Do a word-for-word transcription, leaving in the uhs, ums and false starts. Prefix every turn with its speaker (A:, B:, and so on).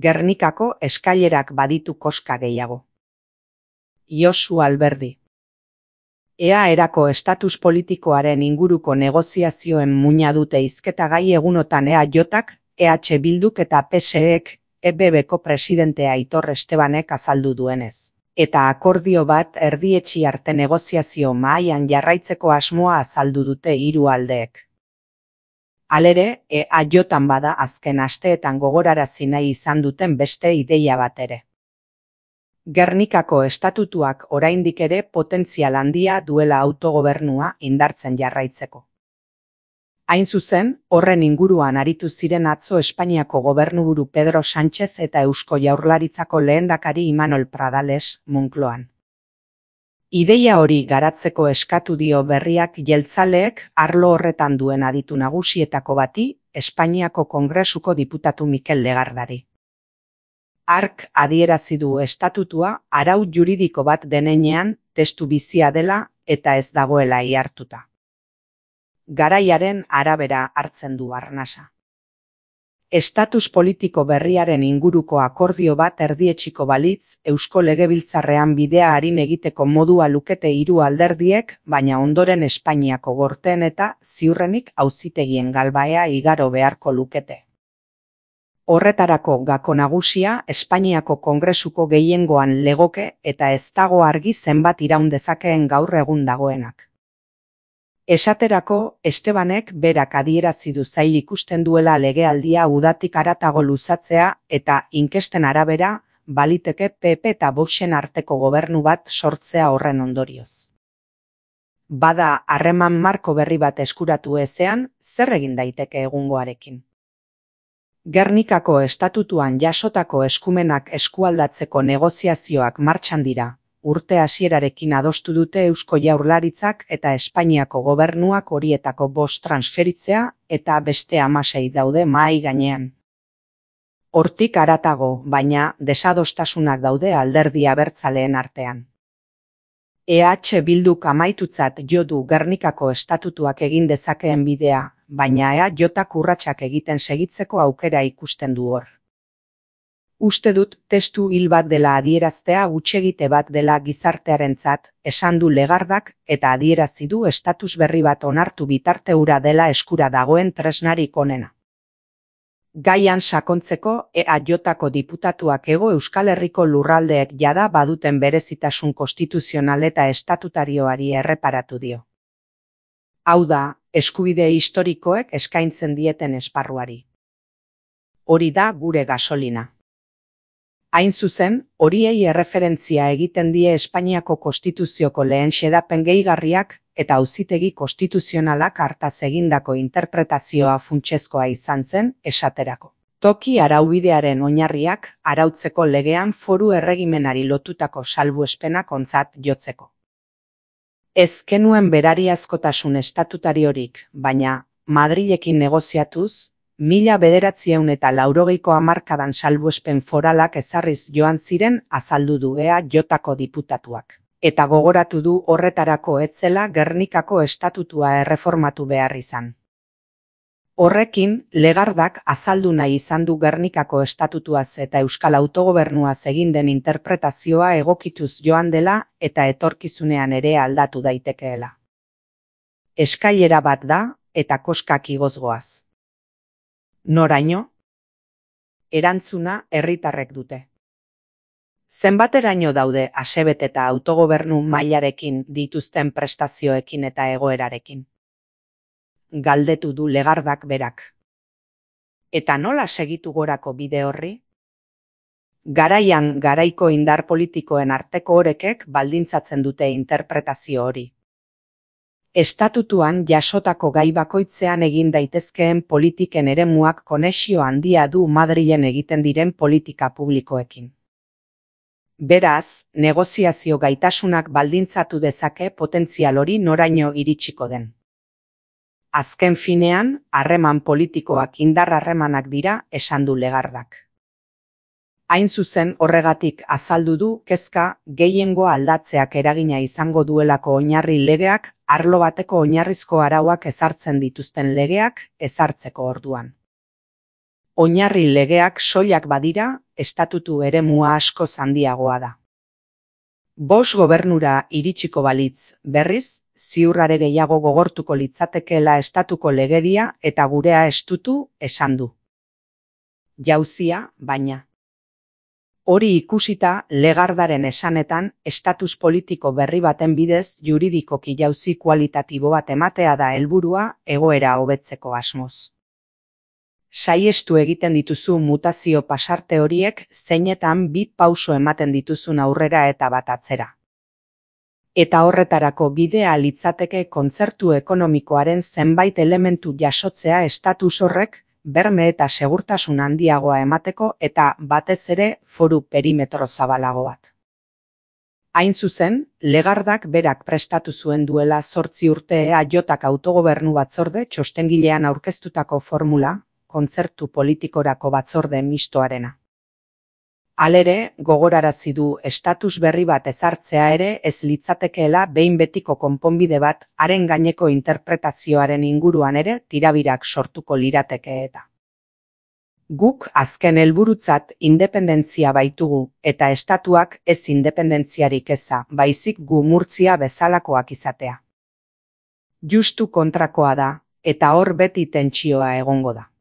A: Gernikako eskailerak baditu koska gehiago. Josu Alberdi. Ea erako estatus politikoaren inguruko negoziazioen muina dute hizketagai egunotan E A J-ak, E H Bilduk eta P S E-ek E B B-ko presidentea Aitor Estebanek azaldu duenez. Eta akordio bat erdietsi arte negoziazio mahaian jarraitzeko asmoa azaldu dute hiru aldeek. Halere, E A J-an bada azken asteetan gogorarazi nahi izan duten beste ideia bat ere. Gernikako estatutuak oraindik ere potentzial handia duela autogobernua indartzen jarraitzeko. Hain zuzen, horren inguruan aritu ziren atzo Espainiako gobernuburu Pedro Sánchez eta Eusko Jaurlaritzako lehendakari Imanol Pradales Moncloan. Ideia hori garatzeko eskatu dio berriak jeltzaleek arlo horretan duen aditu nagusietako bati, Espainiako Kongresuko diputatu Mikel Legardari. Hark adierazi du estatutua arau juridiko bat denean testu bizia dela eta ez dagoela ihartuta. Garaiaren arabera hartzen du arnasa. Estatus politiko berriaren inguruko akordio bat erdietsiko balitz, Eusko Legebiltzarrean bidea arin egiteko modua lukete hiru alderdiek, baina ondoren Espainiako gorteen eta ziurrenik auzitegien galbaea igaro beharko lukete. Horretarako gako nagusia Espainiako Kongresuko gehiengoan legoke eta ez dago argi zenbat iraun dezakeen gaur egun dagoenak. Esaterako, Estebanek berak adierazi du zail ikusten duela legealdia udatik haratago luzatzea eta inkesten arabera baliteke P P eta Voxen arteko gobernu bat sortzea horren ondorioz. Bada harreman marko berri bat eskuratu ezean, zer egin daiteke egungoarekin? Gernikako estatutuan jasotako eskumenak eskualdatzeko negoziazioak martxan dira. Urte hasierarekin adostu dute Eusko Jaurlaritzak eta Espainiako gobernuak horietako bost transferitzea eta beste hamasei daude mahai gainean. Hortik haratago, baina desadostasunak daude alderdi abertzaleen artean. E H Bilduk amaitutzat jo du Gernikako estatutuak egin dezakeen bidea, baina E A J-ak urratsak egiten segitzeko aukera ikusten du hor. Uste dut testu hil bat dela adieraztea hutsegite bat dela gizartearentzat, esan du Legardak eta adierazi du estatus berri bat onartu bitarte hura dela eskura dagoen tresnarik onena. Gaian sakontzeko E A J-ako diputatuak Hego Euskal Herriko lurraldeek jada baduten berezitasun konstituzional eta estatutarioari erreparatu dio. Hau da, eskubide historikoek eskaintzen dieten esparruari. Hori da gure gasolina. Hain zuzen, horiei erreferentzia egiten die Espainiako Konstituzioko lehen xedapen gehigarriak eta auzitegi konstituzionalak hartaz egindako interpretazioa funtsezkoa izan zen esaterako. Toki araubidearen oinarriak arautzeko legean foru erregimenari lotutako salbuespenak ontzat jotzeko. Ez genuen berariazkotasun estatutariorik, baina Madrilekin negoziatuz, mila bederatziehun eta laurogeiko hamarkadan salbuespen foralak ezarriz joan ziren azaldu du E A J-ako diputatuak. Eta gogoratu du horretarako etzela Gernikako estatutua erreformatu behar izan. Horrekin, Legardak azaldu nahi izan du Gernikako estatutuaz eta Euskal Autogobernuaz egin den interpretazioa egokituz joan dela eta etorkizunean ere aldatu daitekeela. Eskailera bat da eta koskak igoz goaz. Noraino? Erantzuna herritarrek dute. Zenbateraino daude asebet eta autogobernu mailarekin dituzten prestazioekin eta egoerarekin? Galdetu du Legardak berak. Eta nola segitu gorako bide horri? Garaian garaiko indar politikoen arteko orekek baldintzatzen dute interpretazio hori. Estatutuan jasotako gai bakoitzean egin daitezkeen politiken eremuak konexio handia du Madrilen egiten diren politika publikoekin. Beraz, negoziazio gaitasunak baldintzatu dezake potentzial hori noraino iritsiko den. Azken finean, harreman politikoak indar harremanak dira esan du Legardak. Hain zuzen horregatik azaldu du kezka gehiengoa aldatzeak eragina izango duelako oinarri legeak arlo bateko oinarrizko arauak ezartzen dituzten legeak ezartzeko orduan. Oinarri legeak soilak badira, estatutu eremua askoz handiagoa da. Bost gobernura iritsiko balitz, berriz, ziur are gehiago gogortuko litzatekeela estatuko legedia eta gurea estutu esan du. Jauzia, baina. Hori ikusita, Legardaren esanetan, estatus politiko berri baten bidez juridikoki jauzi kualitatibo bat ematea da helburua egoera hobetzeko asmoz. Saihestu egiten dituzu mutazio pasarte horiek zeinetan bi pauso ematen dituzun aurrera eta bat atzera. Eta horretarako bidea litzateke kontzertu ekonomikoaren zenbait elementu jasotzea estatus horrek berme eta segurtasun handiagoa emateko eta batez ere foru perimetro zabalago bat. Hain zuzen, Legardak berak prestatu zuen duela zortzi urte E A Jak autogobernu batzorde txostengilean aurkeztutako formula, kontzertu politikorako batzorde mistoarena. Halere, gogorarazi du estatus berri bat ezartzea ere ez litzatekeela behin betiko konponbide bat haren gaineko interpretazioaren inguruan ere tirabirak sortuko lirateke eta. Guk azken helburutzat independentzia baitugu eta estatuak ez independentziarik eza, baizik gu Murtzia bezalakoak izatea. Justu kontrakoa da, eta hor beti tentsioa egongo da.